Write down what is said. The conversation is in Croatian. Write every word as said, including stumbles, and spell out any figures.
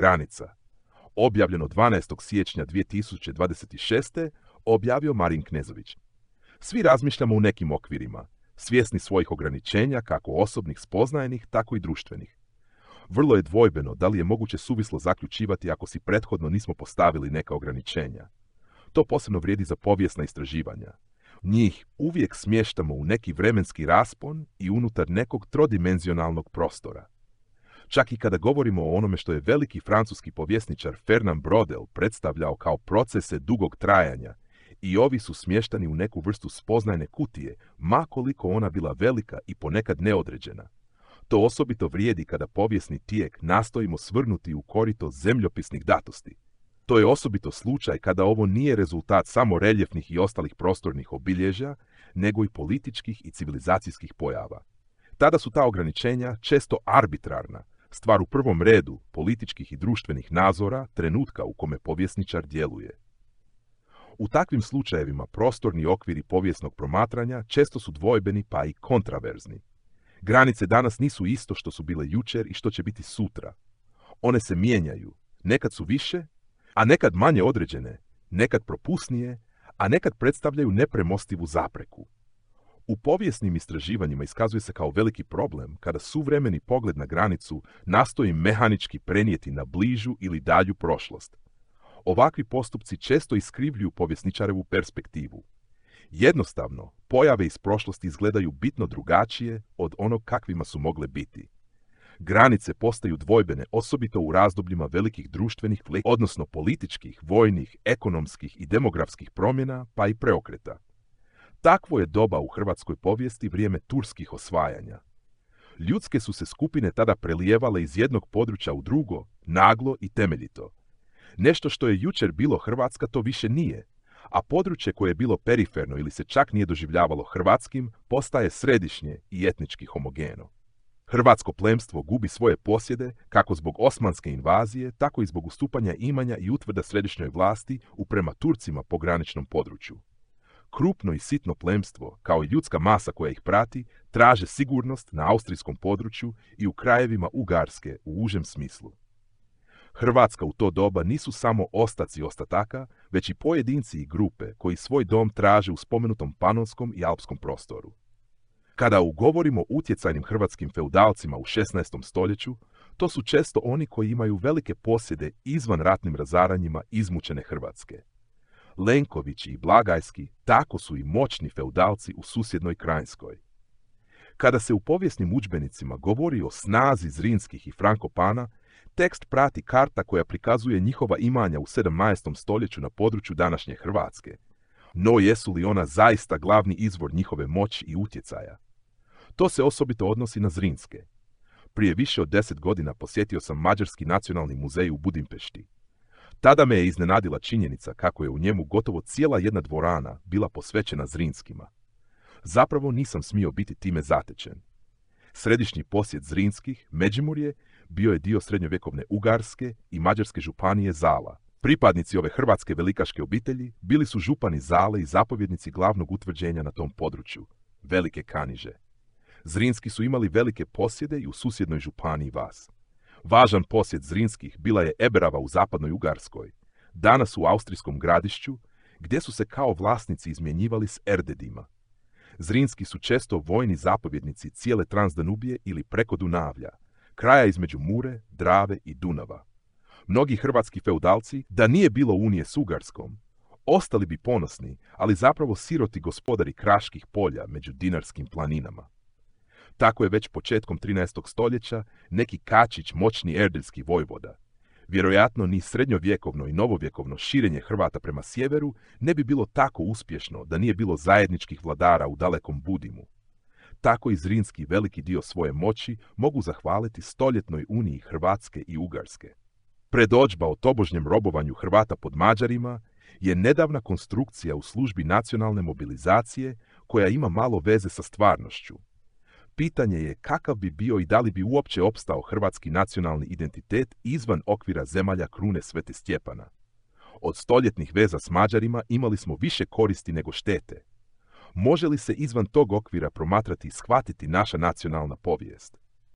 Granica. Objavljeno dvanaestog siječnja dvije tisuće dvadeset šeste. objavio Marin Knezović. Svi razmišljamo u nekim okvirima, svjesni svojih ograničenja, kako osobnih, spoznajnih, tako i društvenih. Vrlo je dvojbeno da li je moguće suvislo zaključivati ako si prethodno nismo postavili neka ograničenja. To posebno vrijedi za povijesna istraživanja. Njih uvijek smještamo u neki vremenski raspon i unutar nekog trodimenzionalnog prostora. Čak i kada govorimo o onome što je veliki francuski povjesničar Fernand Braudel predstavljao kao procese dugog trajanja, i ovi su smještani u neku vrstu spoznajne kutije, ma koliko ona bila velika i ponekad neodređena. To osobito vrijedi kada povijesni tijek nastojimo svrnuti u korito zemljopisnih datosti. To je osobito slučaj kada ovo nije rezultat samo reljefnih i ostalih prostornih obilježja, nego i političkih i civilizacijskih pojava. Tada su ta ograničenja često arbitrarna, stvar u prvom redu političkih i društvenih nazora trenutka u kome povjesničar djeluje. U takvim slučajevima prostorni okviri povijesnog promatranja često su dvojbeni pa i kontraverzni. Granice danas nisu isto što su bile jučer i što će biti sutra. One se mijenjaju, nekad su više, a nekad manje određene, nekad propusnije, a nekad predstavljaju nepremostivu zapreku. U povijesnim istraživanjima iskazuje se kao veliki problem kada suvremeni pogled na granicu nastoji mehanički prenijeti na bližu ili dalju prošlost. Ovakvi postupci često iskrivljuju povjesničarevu perspektivu. Jednostavno, pojave iz prošlosti izgledaju bitno drugačije od onog kakvima su mogle biti. Granice postaju dvojbene osobito u razdobljima velikih društvenih, odnosno političkih, vojnih, ekonomskih i demografskih promjena, pa i preokreta. Takvo je doba u hrvatskoj povijesti vrijeme turskih osvajanja. Ljudske su se skupine tada prelijevale iz jednog područja u drugo, naglo i temeljito. Nešto što je jučer bilo Hrvatska to više nije, a područje koje je bilo periferno ili se čak nije doživljavalo hrvatskim postaje središnje i etnički homogeno. Hrvatsko plemstvo gubi svoje posjede kako zbog osmanske invazije, tako i zbog ustupanja imanja i utvrda središnjoj vlasti u prema Turcima pograničnom području. Krupno i sitno plemstvo, kao i ljudska masa koja ih prati, traže sigurnost na austrijskom području i u krajevima Ugarske u užem smislu. Hrvatska u to doba nisu samo ostaci ostataka, već i pojedinci i grupe koji svoj dom traže u spomenutom panonskom i alpskom prostoru. Kada ugovorimo utjecajnim hrvatskim feudalcima u šesnaestom stoljeću, to su često oni koji imaju velike posjede izvan ratnim razaranjima izmučene Hrvatske. Lenkovići i Blagajski tako su i moćni feudalci u susjednoj Krajinskoj. Kada se u povijesnim udžbenicima govori o snazi Zrinskih i Frankopana, tekst prati karta koja prikazuje njihova imanja u sedamnaestom stoljeću na području današnje Hrvatske. No jesu li ona zaista glavni izvor njihove moći i utjecaja? To se osobito odnosi na Zrinske. Prije više od deset godina posjetio sam Mađarski nacionalni muzej u Budimpešti. Tada me je iznenadila činjenica kako je u njemu gotovo cijela jedna dvorana bila posvećena Zrinskima. Zapravo nisam smio biti time zatečen. Središnji posjed Zrinskih, Međimurje, bio je dio srednjovjekovne Ugarske i Mađarske županije Zala. Pripadnici ove hrvatske velikaške obitelji bili su župani Zale i zapovjednici glavnog utvrđenja na tom području, Velike Kaniže. Zrinski su imali velike posjede i u susjednoj županiji Vas. Važan posjed Zrinskih bila je Eberava u zapadnoj Ugarskoj, danas u austrijskom Gradišću, gdje su se kao vlasnici izmjenjivali s Erdedima. Zrinski su često vojni zapovjednici cijele Transdanubije ili preko Dunavlja, kraja između Mure, Drave i Dunava. Mnogi hrvatski feudalci, da nije bilo unije s Ugarskom, ostali bi ponosni, ali zapravo siroti gospodari kraških polja među Dinarskim planinama. Tako je već početkom trinaestog stoljeća neki Kačić moćni erdeljski vojvoda. Vjerojatno ni srednjovjekovno i novovjekovno širenje Hrvata prema sjeveru ne bi bilo tako uspješno da nije bilo zajedničkih vladara u dalekom Budimu. Tako i Zrinski veliki dio svoje moći mogu zahvaliti stoljetnoj uniji Hrvatske i Ugarske. Predodžba o tobožnjem robovanju Hrvata pod Mađarima je nedavna konstrukcija u službi nacionalne mobilizacije koja ima malo veze sa stvarnošću. Pitanje je kakav bi bio i da li bi uopće opstao hrvatski nacionalni identitet izvan okvira zemalja krune Svete Stjepana. Od stoljetnih veza s Mađarima imali smo više koristi nego štete. Može li se izvan tog okvira promatrati i shvatiti naša nacionalna povijest?